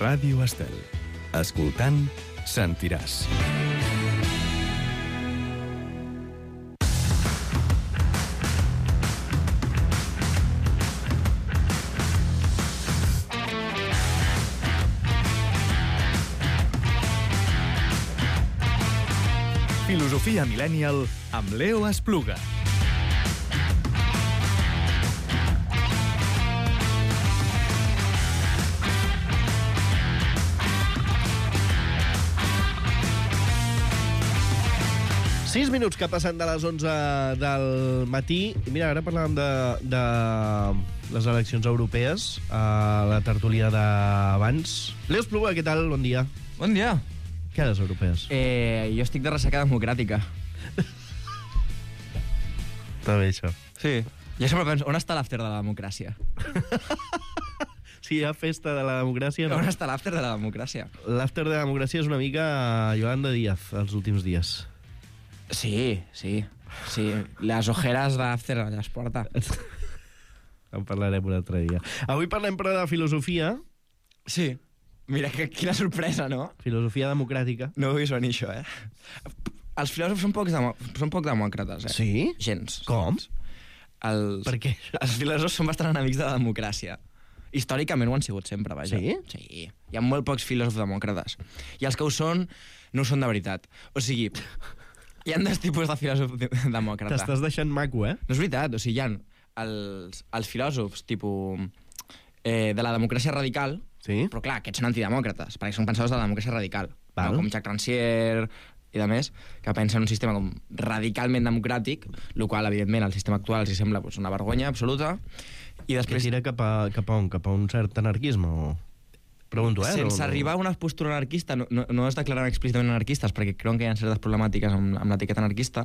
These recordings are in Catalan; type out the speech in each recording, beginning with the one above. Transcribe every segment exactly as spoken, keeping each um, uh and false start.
Ràdio Estel. Escoltant, sentiràs. Filosofia Millennial amb Leo Espluga. Sis minuts que passen de les onze del matí. I mira, ara parlàvem de, de les eleccions europees a la tertúlia d'abans. Leo Espluga, què tal? Bon dia. Bon dia. Què a les europees? Eh, jo estic de ressaca democràtica. Està bé, això. Sí. Jo sempre penso, on està l'after de la democràcia? Si hi ha festa de la democràcia, no. On està l'after de la democràcia? L'after de la democràcia és una mica Yolanda Díaz, els últims dies. Sí, sí. Sí, les ojeres d'after les porta. En parlarem un altre dia. Avui parlem, però, de filosofia. Sí. Mira, que, quina sorpresa, no? Filosofia democràtica. No ho he vist venir, això, eh? Els filòsofs són poc, demo són poc demòcrates, eh? Sí? Gens. Com? Els, per què? Els filòsofs són bastant enemics de la democràcia. Històricament ho han sigut sempre, vaja. Sí? Sí. Hi ha molt pocs filòsofs demòcrates. I els que ho són, no ho són de veritat. O sigui, hi ha dos tipus de filòsof de demòcrata. T'estàs deixant maco, eh? No és veritat, o sigui, hi ha els, els filòsofs, tipus, eh, de la democràcia radical, sí? Però clar, aquests són antidemòcrates, perquè són pensadors de la democràcia radical, no? Com Jacques Rancière i de més, que pensen en un sistema com radicalment democràtic, el qual, evidentment, al sistema actual els sembla pues, una vergonya absoluta. I després... Que tira cap a, cap a on? Cap a un cert anarquisme? O... Pregunto, eh? Sense no, arribar a una postura anarquista, no, no, no es declaren explícitament anarquistes, perquè creuen que hi ha certes problemàtiques amb, amb l'etiqueta anarquista,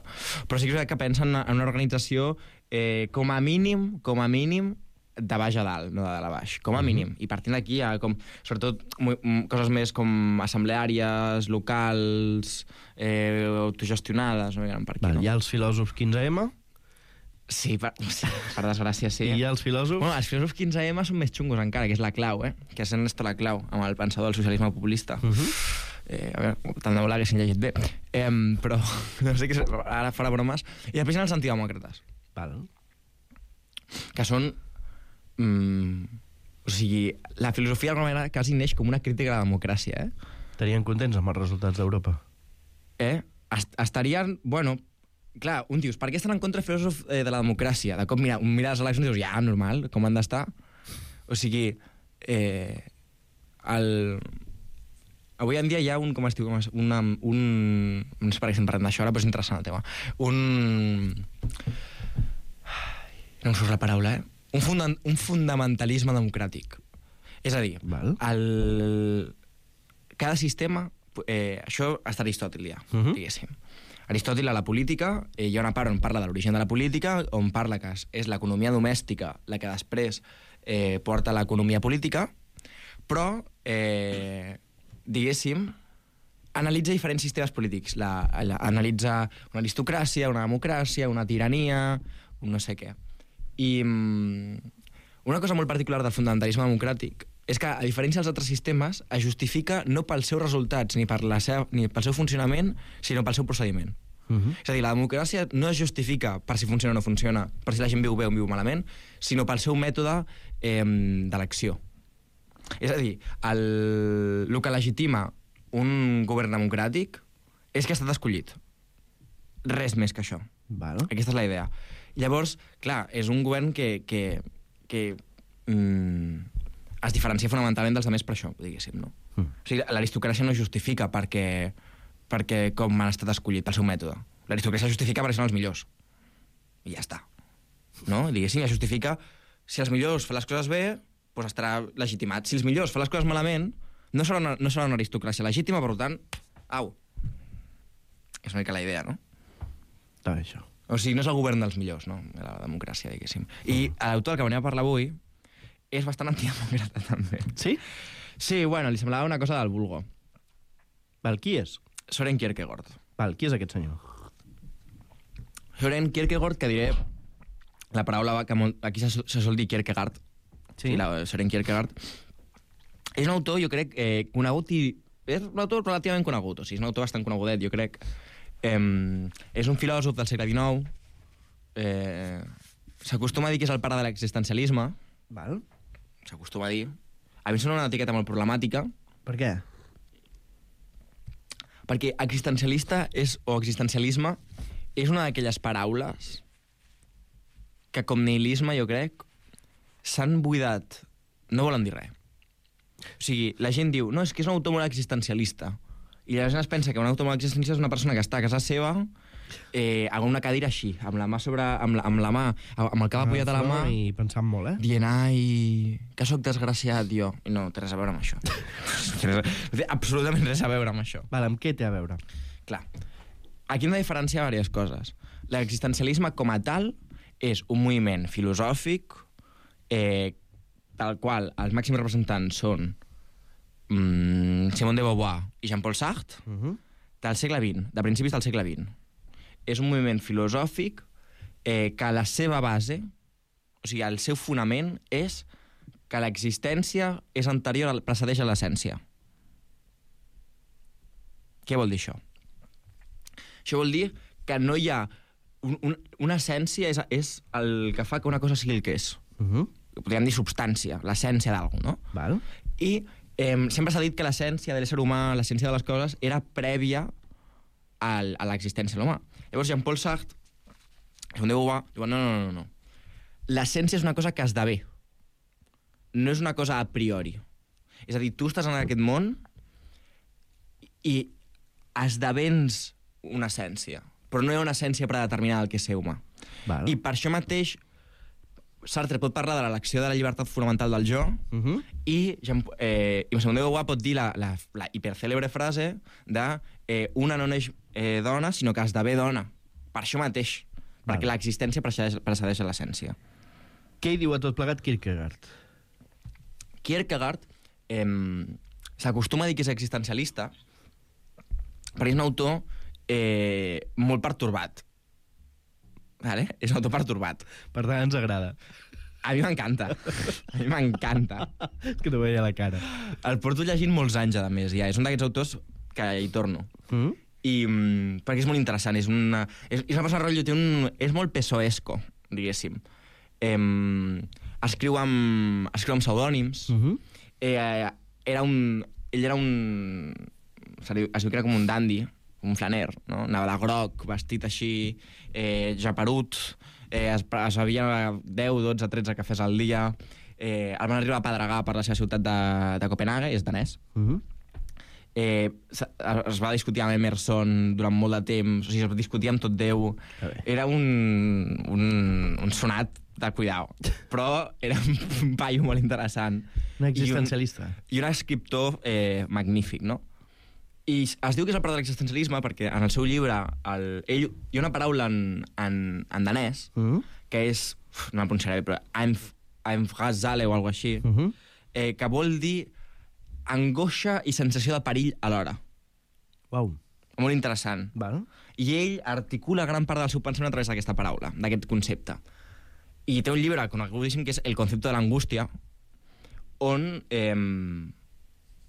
però sí que és que pensen en una organització eh, com a mínim, com a mínim, de baix a dalt, no de dalt a baix, com a mínim. I partint d'aquí hi ha, com, sobretot, coses més com assembleàries, locals, eh, autogestionades, no hi per aquí, Val, no? Hi ha els filòsofs quinze ema? Sí, per, sí, per desgràcia, sí. I hi ha els filòsofs? Bueno, els filòsofs quinze ema són més xungos encara, que és la clau, eh? Que és Ernesto Laclau, amb el pensador del socialisme populista. Uh -huh. eh, a veure, tant de volar que s'han llegit bé. Eh, però, no sé què, ara farà bromes. I després hi ha els antidemòcrates. Val. Que són... Mm, o sigui, la filosofia d'alguna manera quasi neix com una crítica a la democràcia, eh? Estarien contents amb els resultats d'Europa? Eh? Est estarien... Bueno, clar, un dius, per què estan en contra filòsofs eh, de la democràcia? De cop mira, un mira les eleccions i dius, ja, normal, com han d'estar? O sigui, eh, el... avui en dia hi ha un, com es diu, com es, una, un... no sé per què estem parlant d'això ara, però és interessant el tema. Un... No em surt la paraula, eh? Un, funda un fundamentalisme democràtic. És a dir, Val. el... cada sistema... Eh, això està Aristòtil ja, uh -huh. diguéssim. Aristòtil a la política, eh, hi ha una part on parla de l'origen de la política, on parla que és l'economia domèstica la que després eh, porta l'economia política, però, eh, diguéssim, analitza diferents sistemes polítics. La, la, analitza una aristocràcia, una democràcia, una tirania, un no sé què. I mm, una cosa molt particular del fundamentalisme democràtic és que, a diferència dels altres sistemes, es justifica no pels seus resultats ni, per la seva, ni pel seu funcionament, sinó pel seu procediment. Uh -huh. És a dir, la democràcia no es justifica per si funciona o no funciona, per si la gent viu bé o viu malament, sinó pel seu mètode eh, d'elecció. És a dir, el, el que legitima un govern democràtic és que ha estat escollit. Res més que això. Val. Aquesta és la idea. Llavors, clar, és un govern que, que, que mm, es diferencia fonamentalment dels altres per això, diguéssim, no? Mm. O sigui, l'aristocràcia no justifica perquè, perquè com han estat escollit pel seu mètode. L'aristocràcia justifica perquè són els millors. I ja està. No? Diguéssim, ja justifica si els millors fan les coses bé, doncs estarà legitimat. Si els millors fan les coses malament, no serà una, no serà una aristocràcia legítima, per tant, au. És una mica la idea, no? Està bé, això. O sigui, no és el govern dels millors, no? La democràcia, diguéssim. I l'autor que venim a parlar avui és bastant antidemòcrata, també. Sí? Sí, bueno, li semblava una cosa del vulgo. Val, qui és? Soren Kierkegaard. Val, qui és aquest senyor? Soren Kierkegaard, que diré la paraula que molt, aquí se, se sol dir Kierkegaard. Sí. Sí, la, Soren Kierkegaard És un autor, jo crec, eh, conegut i... És un autor relativament conegut, o sigui, és un autor bastant conegudet, jo crec. Eh, és un filòsof del segle dinou. Eh, S'acostuma a dir que és el pare de l'existencialisme. Val. S'acostuma a dir. A mi em sembla una etiqueta molt problemàtica. Per què? Perquè existencialista és, o existencialisme és una d'aquelles paraules que, com nihilisme, jo crec, s'han buidat. No volen dir res. O sigui, la gent diu, no, és que és un autor molt existencialista. I la gent es pensa que un autor molt existencialista és una persona que està a casa seva eh, amb una cadira així, amb la mà sobre... amb la, amb la mà, amb el cap apoyat a la mà... I pensant molt, eh? Dient, ai, que sóc desgraciat, jo. I no, té res a veure amb això. Té absolutament res a veure amb això. Vale, amb què té a veure? Clar, aquí hem de diferenciar diverses coses. L'existencialisme com a tal és un moviment filosòfic eh, pel qual els màxims representants són mm, Simone de Beauvoir i Jean-Paul Sartre, uh -huh. del segle vint, de principis del segle vint. És un moviment filosòfic eh, que la seva base, o sigui, el seu fonament és que l'existència és anterior, al, precedeix a l'essència. Què vol dir això? Això vol dir que no hi ha... Un, un, una essència és, és el que fa que una cosa sigui el que és. Uh -huh. Podríem dir substància, l'essència d'alguna cosa, no? Val. I eh, sempre s'ha dit que l'essència de l'ésser humà, l'essència de les coses, era prèvia al, a l'existència de l'humà. Llavors, Jean-Paul Sartre, Simone de Beauvoir, diuen, no, no, no, no. L'essència és una cosa que esdevé. No és una cosa a priori. És a dir, tu estàs en aquest món i esdevens una essència, però no hi ha una essència predeterminada del que és ser humà. Val. I per això mateix Sartre pot parlar de l'elecció de la llibertat fonamental del jo, uh -huh. i, eh, i Simone de Beauvoir pot dir la, la, la hipercèlebre frase de eh, una no neix eh, dona, sinó que esdevé dona. Per això mateix, Val. Perquè l'existència precedeix, precedeix a l'essència. Què hi diu a tot plegat Kierkegaard? Kierkegaard eh, s'acostuma a dir que és existencialista perquè és un autor eh, molt pertorbat. Vale? És un autor pertorbat. Per tant, ens agrada. A mi m'encanta. A mi m'encanta. És que t'ho veia a la cara. El porto llegint molts anys, a més, ja. És un d'aquests autors que hi torno. Mm? I, mm, perquè és molt interessant. És una, és, és una persona rotllo, té un, és molt pesoesco, diguéssim. Eh, escriu amb, escriu amb pseudònims. Uh -huh. eh, era un, ell era un... Es diu que era com un dandy, un flaner, no? Anava de groc, vestit així, eh, japerut, eh, es, es bevia deu, dotze, tretze cafès al dia, eh, el van arribar a pedregar per la seva ciutat de, de Copenhague, és danès. Uh -huh. eh, es va discutir amb Emerson durant molt de temps, o sigui, es discutia amb tot Déu. Era un, un, un sonat de cuidao, però era un paio molt interessant. Un existencialista. I un, i un escriptor eh, magnífic, no? I es diu que és el pare de l'existencialisme perquè en el seu llibre el, ell, hi ha una paraula en, en, en danès uh -huh. que és, uf, no la pronunciaré bé, però Einfrasale o alguna així, uh -huh. eh, que vol dir angoixa i sensació de perill alhora. Uau. Molt interessant. Val. I ell articula gran part del seu pensament a través d'aquesta paraula, d'aquest concepte. I té un llibre conegudíssim que és El concepte de l'angústia, on, eh,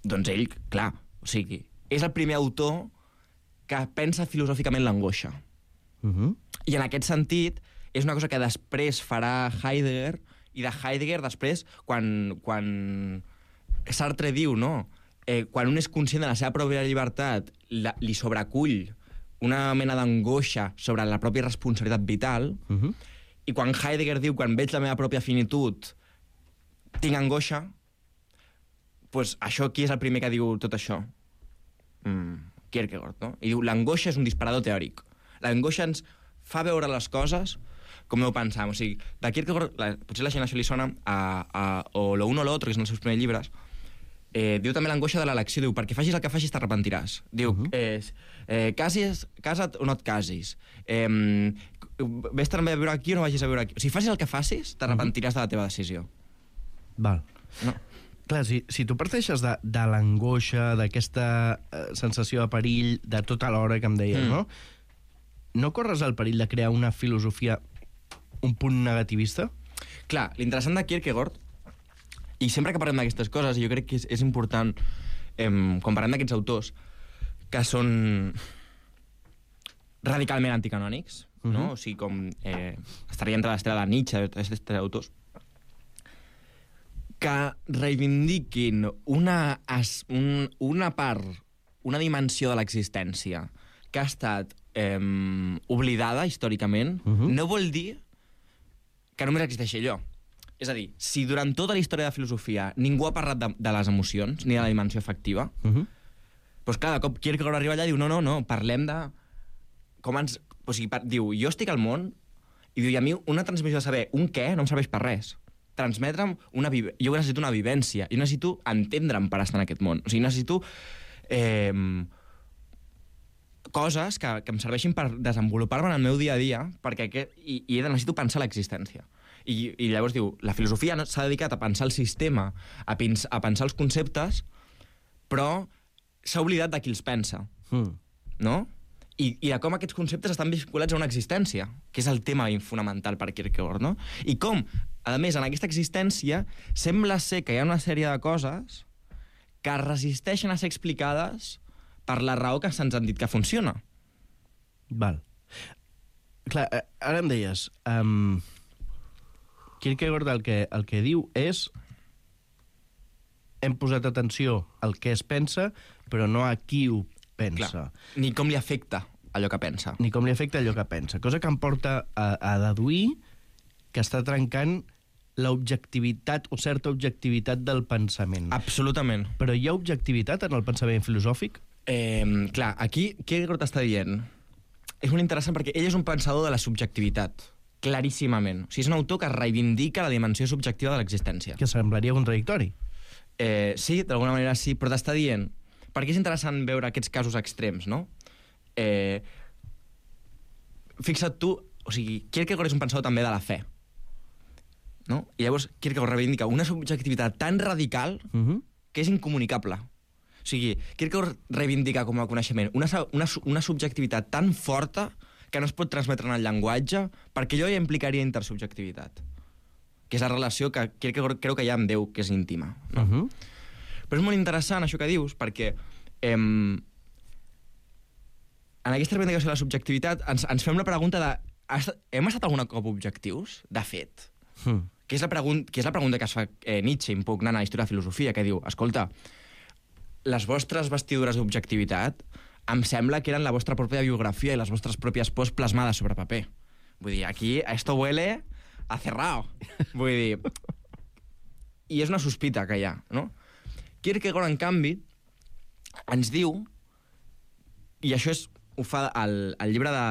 doncs ell, clar, o sigui, és el primer autor que pensa filosòficament l'angoixa. Uh -huh. I en aquest sentit, és una cosa que després farà Heidegger, i de Heidegger després, quan, quan Sartre diu, no?, eh, quan un és conscient de la seva pròpia llibertat, la, li sobrecull una mena d'angoixa sobre la pròpia responsabilitat vital, uh -huh. i quan Heidegger diu, quan veig la meva pròpia finitud, tinc angoixa, doncs això aquí és el primer que diu tot això. Mm, Kierkegaard, no? I diu, l'angoixa és un disparador teòric. L'angoixa ens fa veure les coses com ho pensam. O sigui, de Kierkegaard, la, potser la gent això li sona, a, a, o Lo uno o lo otro, que són els seus primers llibres, eh, diu també l'angoixa de l'elecció. Diu, perquè facis el que facis t'arrepentiràs. Diu, uh -huh. eh, eh, casis, casa't o no et casis. Eh, ves també a viure aquí o no vagis a viure aquí. O sigui, facis el que facis, t'arrepentiràs uh -huh. de la teva decisió. Val. No? Clar, si, si tu parteixes de, de l'angoixa, d'aquesta eh, sensació de perill, de tota l'hora que em deies, mm. no? No corres el perill de crear una filosofia un punt negativista? Clar, l'interessant de Kierkegaard I sempre que parlem d'aquestes coses, jo crec que és, és important, eh, quan parlem d'aquests autors, que són radicalment anticanònics, uh-huh. no? O sigui, com eh, estaria entre l'estrela de Nietzsche, aquests autors, que reivindiquin una, as, un, una part, una dimensió de l'existència que ha estat eh, oblidada històricament, uh-huh. no vol dir que només existeixi allò. És a dir, si durant tota la història de filosofia ningú ha parlat de, de les emocions, ni de la dimensió afectiva, uh-huh. doncs clar, de cop Kierkegaard arriba allà i diu, no, no, no, parlem de... Com ens... O sigui, per, diu, jo estic al món, i diu, i a mi una transmissió de saber un què no em serveix per res. Transmetre'm una... Vive... Jo necessito una vivència, jo necessito entendre'm per estar en aquest món. O sigui, necessito... Eh, coses que, que em serveixin per desenvolupar-me en el meu dia a dia, perquè aquest, i, i necessito pensar l'existència. I, I llavors diu, la filosofia s'ha dedicat a pensar el sistema, a, pins, a pensar els conceptes, però s'ha oblidat de qui els pensa. Mm. No? I, I de com aquests conceptes estan vinculats a una existència, que és el tema fonamental per Kierkegaard, no? I com, a més, en aquesta existència sembla ser que hi ha una sèrie de coses que resisteixen a ser explicades per la raó que se'ns han dit que funciona. Val. Clar, ara em deies... Um, Kierkegaard el que, el que diu és hem posat atenció al que es pensa, però no a qui ho pensa. Clar. Ni com li afecta allò que pensa. Ni com li afecta allò que pensa. Cosa que em porta a, a deduir que està trencant l'objectivitat o certa objectivitat del pensament. Absolutament. Però hi ha objectivitat en el pensament filosòfic? Eh, clar, aquí Kierkegaard està dient... És molt interessant perquè ell és un pensador de la subjectivitat, claríssimament. O sigui, és un autor que reivindica la dimensió subjectiva de l'existència. Que semblaria contradictori. Eh, sí, d'alguna manera sí, però t'està dient... Perquè és interessant veure aquests casos extrems, no? Eh, fixa't tu... O sigui, Kierkegaard és un pensador també de la fe. No? I llavors Kierkegaard reivindica una subjectivitat tan radical uh-huh. que és incomunicable. O sigui, Kierkegaard reivindica com a coneixement una, una, una subjectivitat tan forta que no es pot transmetre en el llenguatge, perquè allò ja implicaria intersubjectivitat, que és la relació que Kierkegaard creu que hi ha amb Déu, que és íntima. No? Uh-huh. Però és molt interessant això que dius, perquè em, en aquesta reivindicació de la subjectivitat ens, ens fem la pregunta de hem estat algun cop objectius? De fet. Uh-huh. Que és la pregun- que és la pregunta que es fa eh, Nietzsche, impugnant a la història de filosofia, que diu, escolta, les vostres vestidures d'objectivitat em sembla que eren la vostra pròpia biografia i les vostres pròpies pors plasmades sobre paper. Vull dir, aquí esto huele a cerrado. Vull dir... I és una sospita que hi ha, no? Kierkegaard, en canvi, ens diu, i això és, ho fa al, al llibre de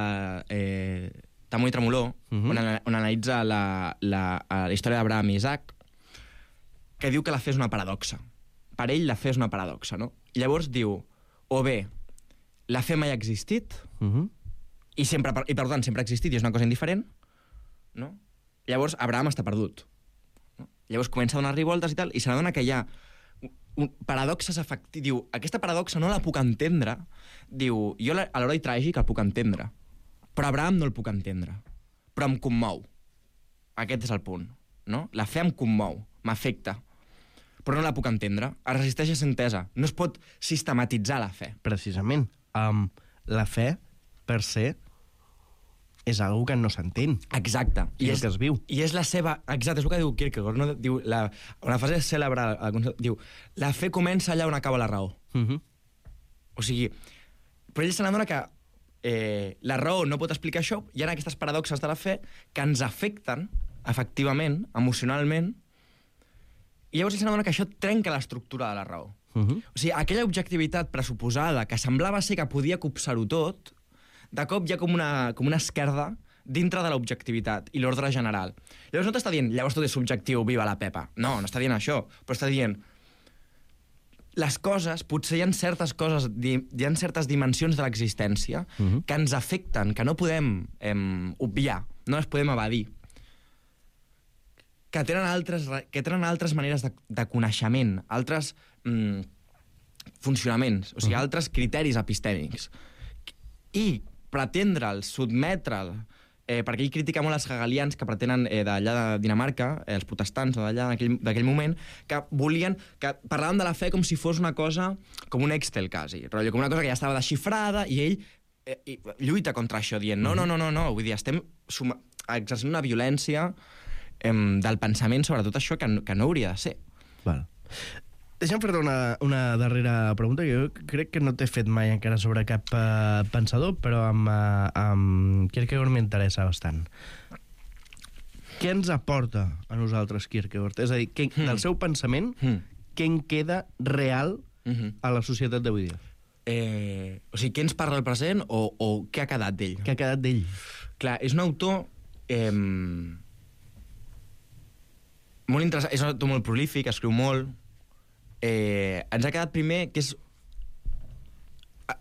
eh, Tamó i Tremolor, uh-huh. on, on analitza la, la, la història d'Abraham i Isaac, que diu que la fe és una paradoxa. Per ell, la fe és una paradoxa, no? I llavors diu, o bé, la fe mai ha existit, uh-huh. i, sempre, i per tant sempre ha existit i és una cosa indiferent, no? Llavors Abraham està perdut. No? Llavors comença a donar-li voltes i tal, i se n'adona que hi ha un, paradoxes afectives. Diu, aquesta paradoxa no la puc entendre. Diu, jo a l'heroi tràgic el puc entendre, però Abraham no el puc entendre. Però em commou. Aquest és el punt, no? La fe em commou, m'afecta, però no la puc entendre. Es resisteix a ser entesa. No es pot sistematitzar la fe. Precisament. Um, la fe, per se, és algo que no s'entén. Exacte. I, I és el que es viu. I és la seva... Exacte, és el que diu Kierkegaard. No? Diu, la, una frase cèlebre, diu, la fe comença allà on acaba la raó. Uh-huh. O sigui, però ell se n'adona que eh, la raó no pot explicar això, hi ha aquestes paradoxes de la fe que ens afecten, efectivament, emocionalment, i llavors ell s'adona que això trenca l'estructura de la raó. Uh-huh. O sigui, aquella objectivitat pressuposada que semblava ser que podia copsar-ho tot, de cop hi ha com una, com una esquerda dintre de l'objectivitat i l'ordre general. Llavors no t'està dient, llavors tot és subjectiu, viva la Pepa. No, no està dient això, però està dient les coses, potser hi ha certes coses, hi ha certes dimensions de l'existència uh-huh. que ens afecten, que no podem eh, obviar, no les podem evadir, que tenen altres, que tenen altres maneres de, de coneixement, altres mm, funcionaments, o sigui, uh-huh. altres criteris epistèmics. I pretendre'ls, sotmetre'l, eh, perquè ell critica molt els hegelians que pretenen eh, d'allà de Dinamarca, eh, els protestants d'allà d'aquell moment, que volien, que parlaven de la fe com si fos una cosa, com un Excel, quasi, rotllo, com una cosa que ja estava desxifrada, i ell eh, i lluita contra això, dient, no, no, no, no, no, vull dir, estem suma exercint una violència eh, del pensament sobre tot això que, que no hauria de ser. Val. Deixa'm fer-te una, una darrera pregunta, que jo crec que no t'he fet mai encara sobre cap uh, pensador, però amb, uh, amb Kierkegaard m'interessa bastant. Què ens aporta a nosaltres Kierkegaard? És a dir, que, mm. del seu pensament, mm. què en queda real mm-hmm. a la societat d'avui dia? Eh, o sigui, què ens parla el present o, o què ha quedat d'ell? Què ha quedat d'ell? Clar, és un autor... Eh, molt interessant, és un autor molt prolífic, escriu molt. Eh, ens ha quedat primer que és...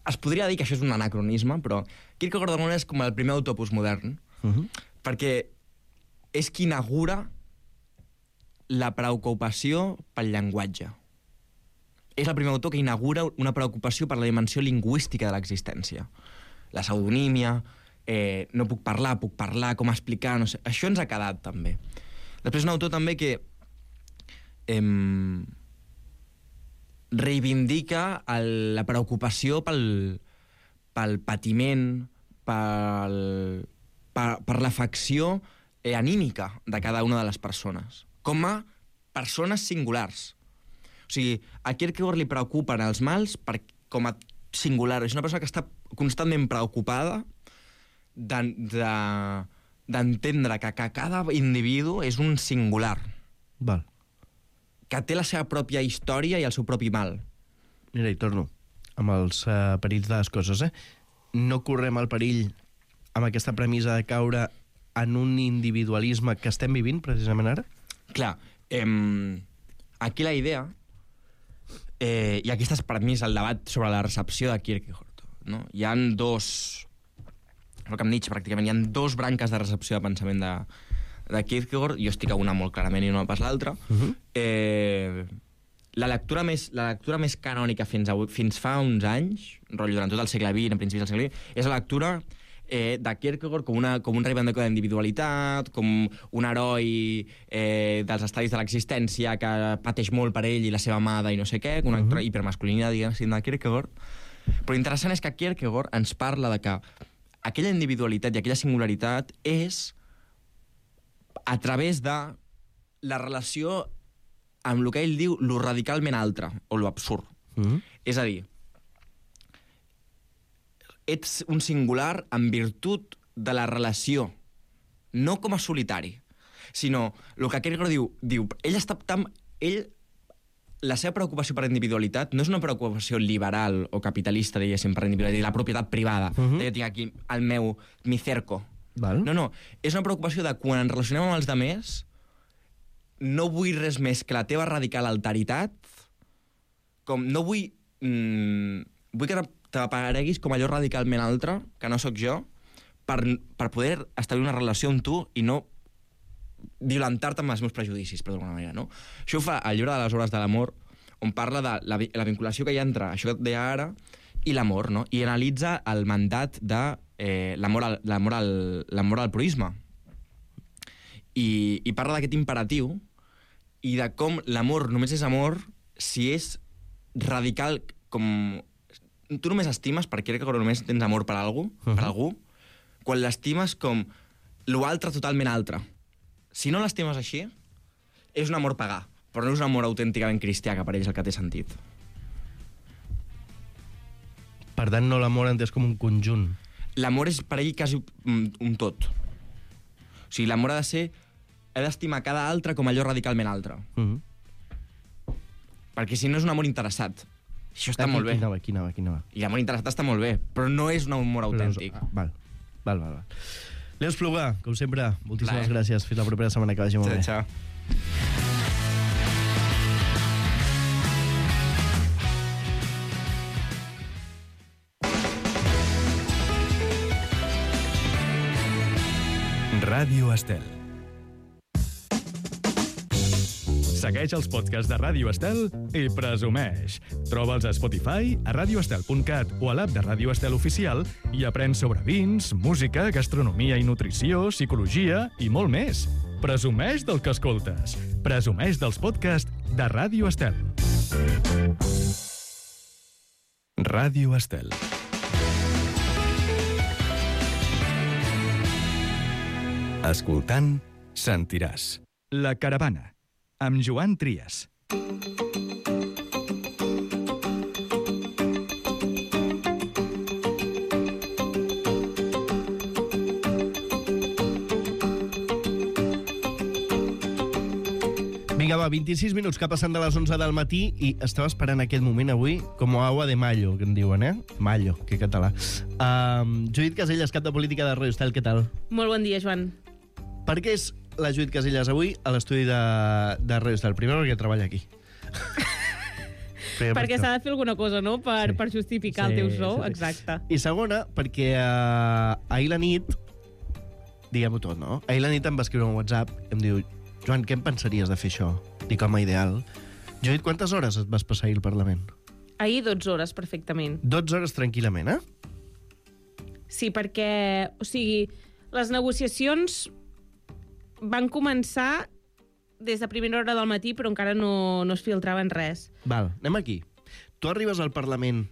Es podria dir que això és un anacronisme, però Kierkegaard d'alguna és com el primer autor postmodern, uh-huh. perquè és qui inaugura la preocupació pel llenguatge. És el primer autor que inaugura una preocupació per la dimensió lingüística de l'existència. La pseudonímia, eh, no puc parlar, puc parlar, com explicar, no sé. Això ens ha quedat, també. Després un autor també que... Eh, reivindica el, la preocupació pel, pel patiment, pel, per, per l'afecció eh, anímica de cada una de les persones, com a persones singulars. O sigui, a Kierkegaard li preocupen els mals per, com a singular. És una persona que està constantment preocupada d'entendre de, de, que, que cada individu és un singular. Val. Que té la seva pròpia història i el seu propi mal. Mira, hi torno, amb els uh, perills de les coses, eh? No correm el perill amb aquesta premissa de caure en un individualisme que estem vivint, precisament ara? Clar, eh, aquí la idea, eh, i aquesta és per mi el debat sobre la recepció de Kierkegaard, no? Hi ha dos, el que em Nietzsche pràcticament, hi ha dos branques de recepció de pensament de, de Kierkegaard, jo estic a una molt clarament i no pas l'altra. Uh-huh. eh, la, lectura més, la lectura més canònica fins, a, fins fa uns anys, rotllo durant tot el segle vint, a principis del segle vint, és la lectura eh, de Kierkegaard com, una, com un reivindicador d'individualitat, com un heroi eh, dels estadis de l'existència que pateix molt per ell i la seva amada i no sé què, una uh-huh. hipermasculinitat, diguem, de Kierkegaard. Però l'interessant és que Kierkegaard ens parla de que aquella individualitat i aquella singularitat és a través de la relació amb el que ell diu lo radicalment altre, o lo absurd. Mm-hmm. És a dir, ets un singular en virtut de la relació, no com a solitari, sinó el que Kierkegaard diu, diu ell està tan... Ell, la seva preocupació per la individualitat no és una preocupació liberal o capitalista, diguéssim, per la individualitat, la propietat privada. Mm-hmm. Jo tinc aquí el meu, mi cerco. Val. No, no, és una preocupació de quan ens relacionem amb els demés, no vull res més que la teva radical alteritat, com no vull... Mm, vull que t'apareguis com allò radicalment altre, que no sóc jo, per, per poder establir una relació amb tu i no violentar-te amb els meus prejudicis, per d'alguna manera, no? Això ho fa al llibre de les obres de l'amor, on parla de la, la vinculació que hi ha entre això que et deia ara i l'amor, no? I analitza el mandat de eh, l'amor al, l'amor al, l'amor al proisme. I, i parla d'aquest imperatiu i de com l'amor només és amor si és radical, com... Tu només estimes, per Kierkegaard només tens amor per algú, uh-huh. per algú, quan l'estimes com l'altre totalment altre. Si no l'estimes així, és un amor pagà, però no és un amor autènticament cristià, que per ells el que té sentit. Per tant, no l'amor entès com un conjunt. L'amor és per ell quasi un, un tot. O sigui, l'amor ha de ser... He d'estimar cada altre com allò radicalment altre. Uh-huh. Perquè si no és un amor interessat. Això està aquí, molt bé. Aquí anava, aquí anava, aquí anava. I l'amor interessat està molt bé, però no és un amor autèntic. No, val, val, val. val. Leo Espluga, com sempre, moltíssimes Lai. gràcies. Fins la propera setmana, que vagi molt bé. Ciao, ciao. Ràdio Estel. Segueix els podcasts de Ràdio Estel i presumeix. Troba'ls a Spotify, a radioestel punt cat o a l'app de Ràdio Estel Oficial i aprèn sobre vins, música, gastronomia i nutrició, psicologia i molt més. Presumeix del que escoltes. Presumeix dels podcasts de Ràdio Estel. Ràdio Estel. Escoltant, sentiràs. La Caravana, amb Joan Trias. Vinga, va, vint-i-sis minuts que passen de les onze del matí i estava esperant aquest moment avui com agua de mayo, que en diuen, eh? Mayo, que català. Um, Judit Casellas, cap de política de Ràdio Estel, què tal? Molt bon dia, Joan. Per què és la Judit Casellas avui a l'estudi de, de Ràdio Estel? Primer perquè treballa aquí. Perquè s'ha de fer alguna cosa, no?, per, Sí. per justificar Sí, el teu sou. sí, sí. Exacte. I segona, perquè uh, ahir la nit, diguem-ho tot, no? Ahir la nit em va escriure un WhatsApp i em diu: Joan, què em pensaries de fer això? Dic, home, ideal. Judit, quantes hores et vas passar ahir al Parlament? Ahir dotze hores, perfectament. dotze hores tranquil·lament, eh? Sí, perquè, o sigui, les negociacions van començar des de primera hora del matí, però encara no, no es filtraven res. Val, anem aquí. Tu arribes al Parlament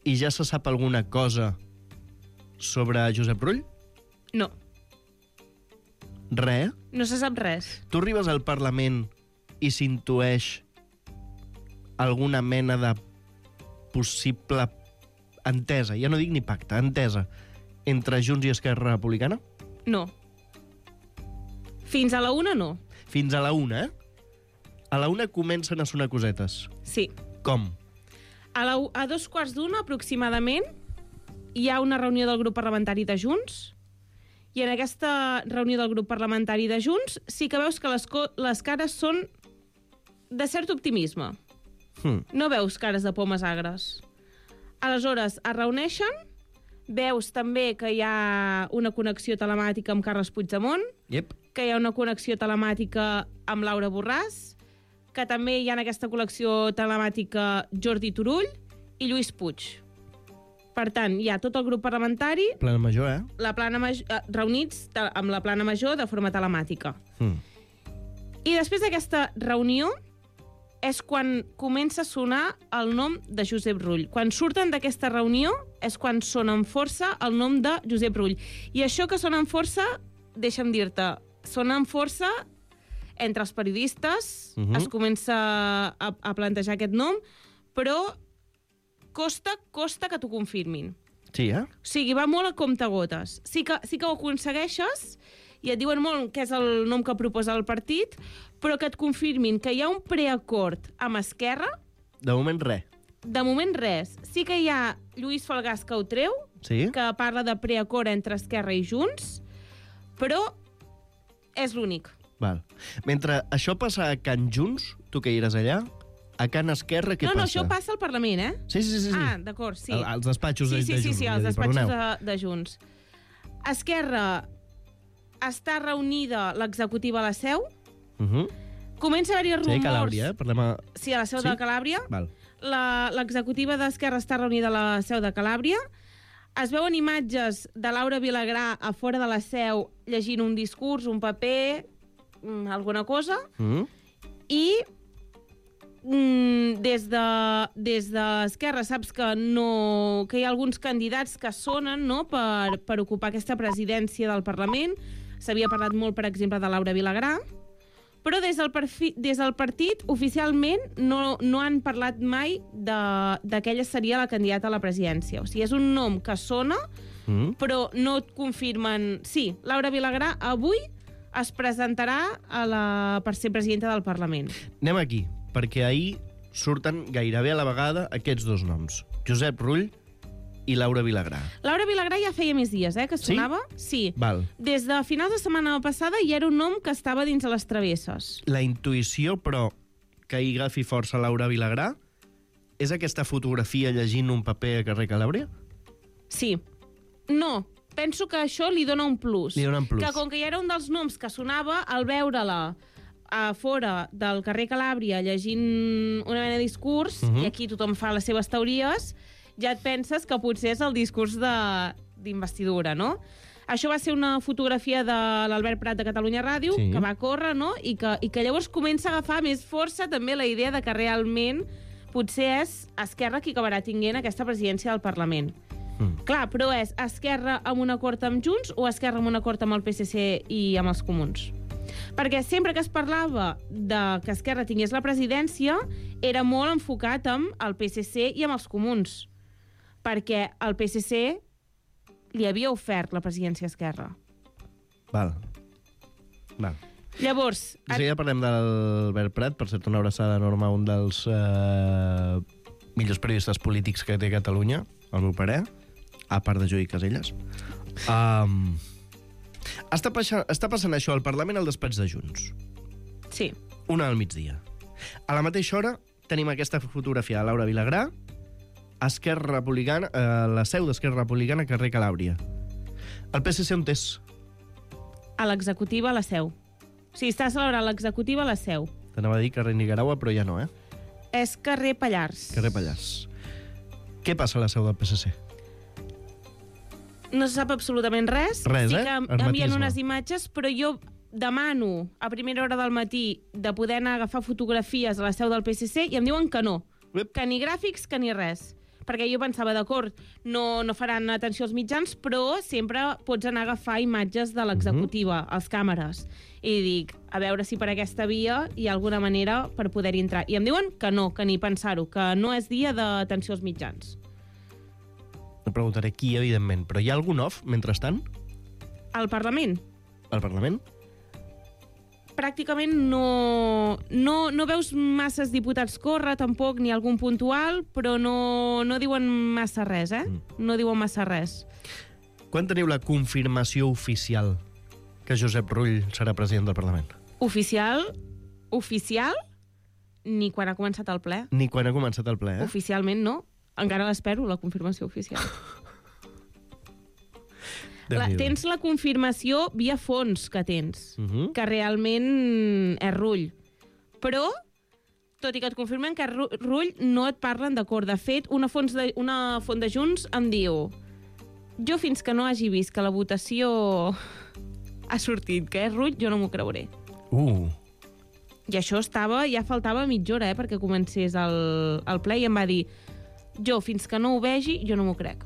i ja se sap alguna cosa sobre Josep Rull? No, Res? no se sap res. Tu arribes al Parlament i s'intueix alguna mena de possible entesa, ja no dic ni pacte, entesa, entre Junts i Esquerra Republicana? No. Fins a la una, no. Fins a la una, eh? A la una comencen a sonar cosetes. Sí. Com? A, la, a dos quarts d'una, aproximadament, hi ha una reunió del grup parlamentari de Junts, i en aquesta reunió del grup parlamentari de Junts sí que veus que les, les cares són de cert optimisme. Hm. No veus cares de pomes agres. Aleshores, es reuneixen, veus també que hi ha una connexió telemàtica amb Carles Puigdemont, Yep. que hi ha una connexió telemàtica amb Laura Borràs, que també hi ha en aquesta connexió telemàtica Jordi Turull i Lluís Puig. Per tant, hi ha tot el grup parlamentari, Plana major, eh? la plana major, eh, reunits te- amb la plana major de forma telemàtica. Hm. I després d'aquesta reunió és quan comença a sonar el nom de Josep Rull. Quan surten d'aquesta reunió és quan sona amb força el nom de Josep Rull. I això que sona amb força, deixa'm dir-te, sona amb força entre els periodistes, Mhm. es comença a, a plantejar aquest nom, però costa, costa que t'ho confirmin. Sí, eh? O sigui, va molt a comptagotes. Sí que, sí que ho aconsegueixes i et diuen molt que és el nom que proposa el partit, però que et confirmin que hi ha un preacord amb Esquerra, De moment, res. de moment res. Sí que hi ha Lluís Falgàs que ho treu, Sí? que parla de preacord entre Esquerra i Junts, però és l'únic. Val. Mentre això passa a Can Junts, tu que hi eres allà, a Can Esquerra, què no, passa? no, això passa al Parlament, eh? Sí, sí, sí. sí. Ah, d'acord, sí. Al- als despatxos sí, de, sí, de sí, Junts. sí, vull als dir, despatxos perdoneu. de, de Junts. Esquerra està reunida l'executiva a la Seu, Uh -huh. comença a haver-hi Sí, rumors... Calàbria, eh? Parlem a... Sí, a la Seu Sí? de Calàbria. Val. La- L'executiva d'Esquerra està reunida a la Seu de Calàbria. Es veuen imatges de Laura Vilagrà a fora de la Seu llegint un discurs, un paper, mm, alguna cosa, Uh -huh. i mm, des de des d'Esquerra saps que no que hi ha alguns candidats que sonen, no?, per, per ocupar aquesta presidència del Parlament. S'havia parlat molt, per exemple, de Laura Vilagrà, però des del, perfi, des del partit oficialment no, no han parlat mai de, de que ella seria la candidata a la presidència. O sigui, és un nom que sona, Uh -huh. però no et confirmen... Sí, Laura Vilagrà avui es presentarà a la, per ser presidenta del Parlament. Anem aquí, perquè ahir surten gairebé a la vegada aquests dos noms. Josep Rull i Laura Vilagrà. Laura Vilagrà ja feia més dies, eh, que Sí? sonava. Sí. Val. Des de finals de setmana passada ja era un nom que estava dins de les travesses. La intuïció, però, que hi agafi força Laura Vilagrà, és aquesta fotografia llegint un paper a carrer Calàbria? Sí. No, penso que això li dona un plus. Li dona un plus. Que com que ja era un dels noms que sonava, al veure-la a fora del carrer Calàbria llegint una mena de discurs, uh -huh. i aquí tothom fa les seves teories, ja et penses que potser és el discurs d'investidura, no? Això va ser una fotografia de l'Albert Prat de Catalunya Ràdio, sí. que va córrer, no? I que, i que llavors comença a agafar més força també la idea de que realment potser és Esquerra qui acabarà tinguent aquesta presidència del Parlament. Mm. Clar, però és Esquerra amb un acord amb Junts o Esquerra amb un acord amb el P S C i amb els Comuns? Perquè sempre que es parlava de que Esquerra tingués la presidència era molt enfocat amb el P S C i amb els Comuns, perquè el P S C li havia ofert la presidència a Esquerra. Val. Val. Llavors... Si ja parlem d'Albert Prat, per cert, una abraçada enorme a un dels eh, millors periodistes polítics que té Catalunya, al meu parer, a part de Joey Caselles. Um, està, passant, està passant això al Parlament al despatx de Junts. Sí. Una al migdia. A la mateixa hora tenim aquesta fotografia de Laura Vilagrà, Esquerra Republicana, eh, la seu d'Esquerra Republicana, carrer Calàbria. El P S C on és? A l'executiva, a la seu. O sigui, està celebrant l'executiva a la seu. T'anava a dir carrer Nicaragua, però ja no, eh? És carrer Pallars. Carrer Pallars. Què passa a la seu del P S C? No se sap absolutament res. Res, sí eh? que envien unes imatges, però jo demano a primera hora del matí de poder anar a agafar fotografies a la seu del P S C i em diuen que no. Uep. Que ni gràfics, que ni res. Perquè jo pensava, d'acord, no, no faran atenció als mitjans, però sempre pots anar a agafar imatges de l'executiva, uh -huh. als càmeres. I dic, a veure si per aquesta via hi ha alguna manera per poder entrar. I em diuen que no, que ni pensar-ho, que no és dia d'atenció als mitjans. No preguntaré qui, evidentment, però hi ha algun off, mentrestant? Al Parlament? Al Parlament? Pràcticament no, no, no veus masses diputats córrer, tampoc, ni algun puntual, però no, no diuen massa res, eh? Mm. No diuen massa res. Quan teniu la confirmació oficial que Josep Rull serà president del Parlament? Oficial? Oficial? Ni quan ha començat el ple. Ni quan ha començat el ple, eh? Oficialment no. Encara l'espero, la confirmació oficial. La, tens la confirmació via fons que tens, uh -huh. que realment és Rull. Però, tot i que et confirmen que és Rull, no et parlen d'acord. De fet, una, fons de, una font de Junts em diu jo fins que no hagi vist que la votació ha sortit que és Rull, jo no m'ho creuré. Uh. I això estava, ja faltava mitja hora, eh, perquè comencés el, el ple, i em va dir jo fins que no ho vegi, jo no m'ho crec.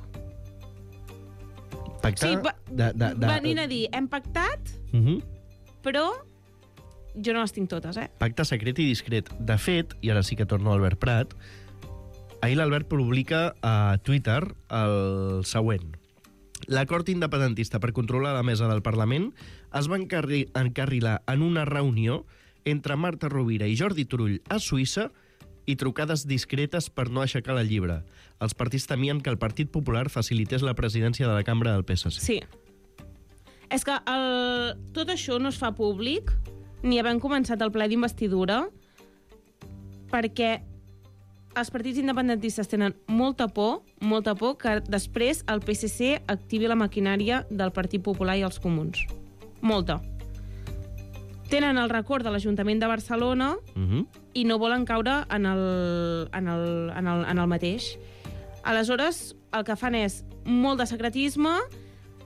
Pactar... Sí, va, de, de, de... venint a dir, hem pactat, uh -huh. però jo no les tinc totes, eh? Pacte secret i discret. De fet, i ara sí que torno a Albert Prat, ahir l'Albert publica a Twitter el següent. L'acord independentista per controlar la mesa del Parlament es va encarri encarrilar en una reunió entre Marta Rovira i Jordi Turull a Suïssa i trucades discretes per no aixecar la llibre. Els partits temien que el Partit Popular facilités la presidència de la cambra del P S C. Sí. És que el... tot això no es fa públic, ni havent començat el ple d'investidura, perquè els partits independentistes tenen molta por, molta por que després el P S C activi la maquinària del Partit Popular i els Comuns. Molta. Tenen el record de l'Ajuntament de Barcelona uh-huh. i no volen caure en el, en, el, en, el, en el mateix. Aleshores, el que fan és molt de secretisme,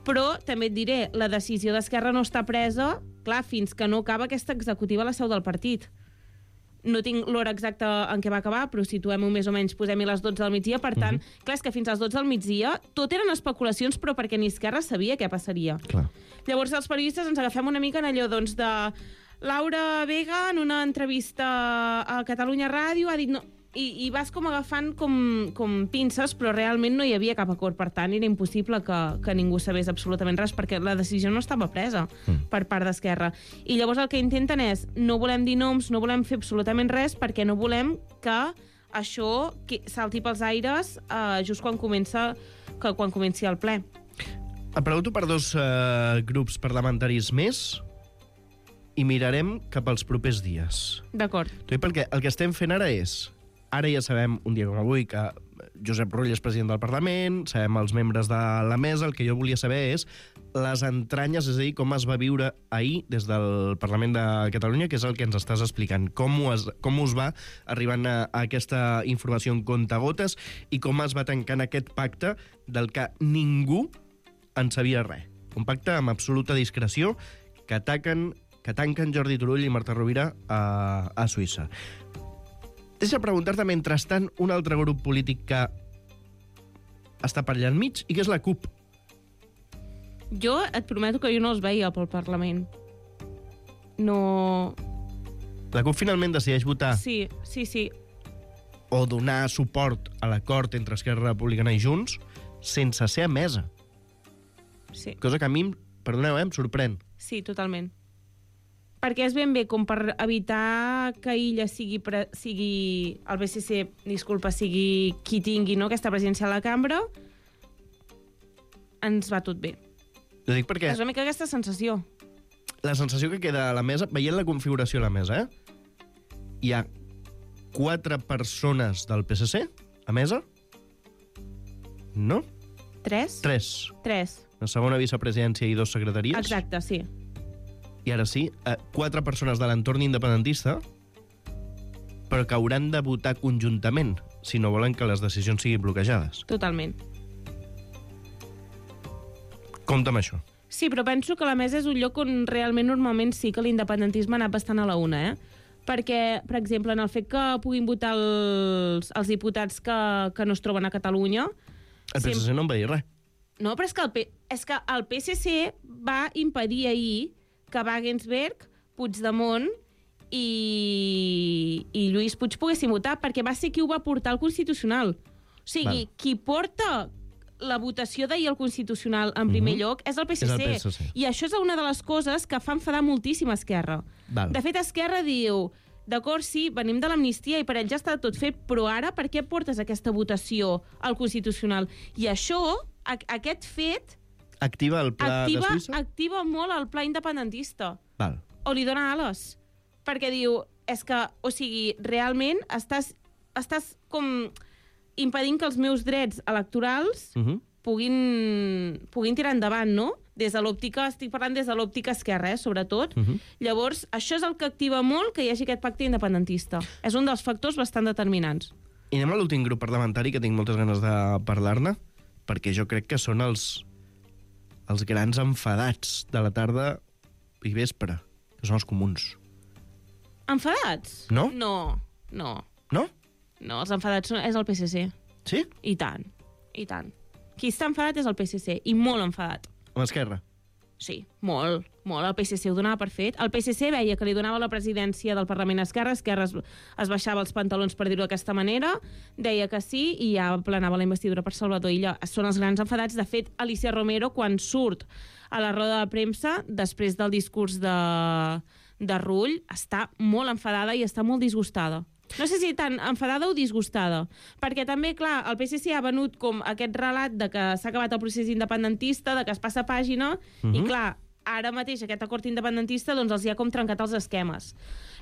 però també et diré, la decisió d'Esquerra no està presa, clar, fins que no acaba aquesta executiva a la seu del partit. No tinc l'hora exacta en què va acabar, però situem-ho més o menys, posem-hi les dotze del migdia, per tant, uh-huh. clar, és que fins a les dotze del migdia tot eren especulacions, però perquè ni Esquerra sabia què passaria. Clar. Llavors, els periodistes ens agafem una mica en allò, doncs, de Laura Vega, en una entrevista a Catalunya Ràdio, ha dit... No, i, i vas com agafant com, com pinces, però realment no hi havia cap acord. Per tant, era impossible que, que ningú sabés absolutament res, perquè la decisió no estava presa mm. per part d'Esquerra. I llavors el que intenten és, no volem dir noms, no volem fer absolutament res, perquè no volem que això salti pels aires eh, just quan comença que quan comenci el ple. Em pregunto per dos eh, grups parlamentaris més i mirarem cap als propers dies. D'acord. Perquè el que estem fent ara és... Ara ja sabem, un dia com avui, que Josep Rull és president del Parlament, sabem els membres de la mesa, el que jo volia saber és les entranyes, és a dir, com es va viure ahir des del Parlament de Catalunya, que és el que ens estàs explicant. Com, es, com us va arribant a, a aquesta informació en comptagotes i com es va tancant aquest pacte del que ningú en sabia res. Un pacte amb absoluta discreció que ataquen, que tanquen Jordi Turull i Marta Rovira a, a Suïssa. Deixa preguntar-te, mentrestant, un altre grup polític que està per allà enmig i que és la CUP. Jo et prometo que jo no els veia pel Parlament. No... La CUP finalment decideix votar Sí, sí, sí. o donar suport a l'acord entre Esquerra Republicana i Junts sense ser emesa. Sí, Cosa que a mi, perdoneu, eh, em sorprèn. sí, totalment. Perquè és ben bé com per evitar que Illa sigui, pre... sigui el B C C, disculpa, sigui qui tingui, no, aquesta presidència a la cambra, ens va tot bé. Ho dic perquè És una mica aquesta sensació. la sensació que queda a la mesa, veient la configuració a la mesa, eh? Hi ha quatre persones del P S C a mesa? No? Tres? Tres. Tres. La segona vicepresidència i dos secretaries. Exacte, sí. I ara sí, eh, quatre persones de l'entorn independentista, però que hauran de votar conjuntament si no volen que les decisions siguin bloquejades. Totalment. Compte amb això. Sí, però penso que la mesa és un lloc on realment normalment sí que l'independentisme ha anat bastant a la una, eh? Perquè, per exemple, en el fet que puguin votar els, els diputats que, que no es troben a Catalunya... El P S C no en va dir res. No, però és que, el P... és que el P S C va impedir ahir que Wagensberg, Puigdemont i, i Lluís Puig poguessin votar, perquè va ser qui ho va portar al Constitucional. O sigui, Val. qui porta la votació d'ahir al Constitucional en primer Mhm. lloc és el P S C. És el P S C. I això és una de les coses que fa enfadar moltíssim a Esquerra. Val. De fet, Esquerra diu, d'acord, sí, venim de l'amnistia i per ell ja està tot fet, però ara per què portes aquesta votació al Constitucional? I això, a, aquest fet, Activa el pla activa, de Suïssa? activa molt el pla independentista. Val. O li dona ales. Perquè diu, és que, o sigui, realment estàs, estàs com impedint que els meus drets electorals Uh -huh. puguin, puguin tirar endavant, no? Des de l'òptica, estic parlant des de l'òptica esquerra, eh, sobretot. Uh -huh. Llavors, això és el que activa molt que hi hagi aquest pacte independentista. És un dels factors bastant determinants. I anem a l'últim grup parlamentari, que tinc moltes ganes de parlar-ne, perquè jo crec que són els, els grans enfadats de la tarda i vespre, que són els comuns. Enfadats? No? No, no. No? No, els enfadats són, és el P S C. Sí? I tant, i tant. Qui està enfadat és el P S C, i molt enfadat. Amb Esquerra? Sí, molt, molt. El P S C ho donava per fet. El P S C veia que li donava la presidència del Parlament a Esquerra, Esquerra es, es baixava els pantalons, per dir-ho d'aquesta manera, deia que sí, i ja planava la investidura per Salvador Illa. Són els grans enfadats. De fet, Alicia Romero, quan surt a la roda de premsa, després del discurs de, de Rull, està molt enfadada i està molt disgustada. No sé si tan enfadada o disgustada, perquè també, clar, el P S C ha venut com aquest relat de que s'ha acabat el procés independentista, de que es passa pàgina, uh -huh. i clar, ara mateix aquest acord independentista doncs els hi ha com trencat els esquemes.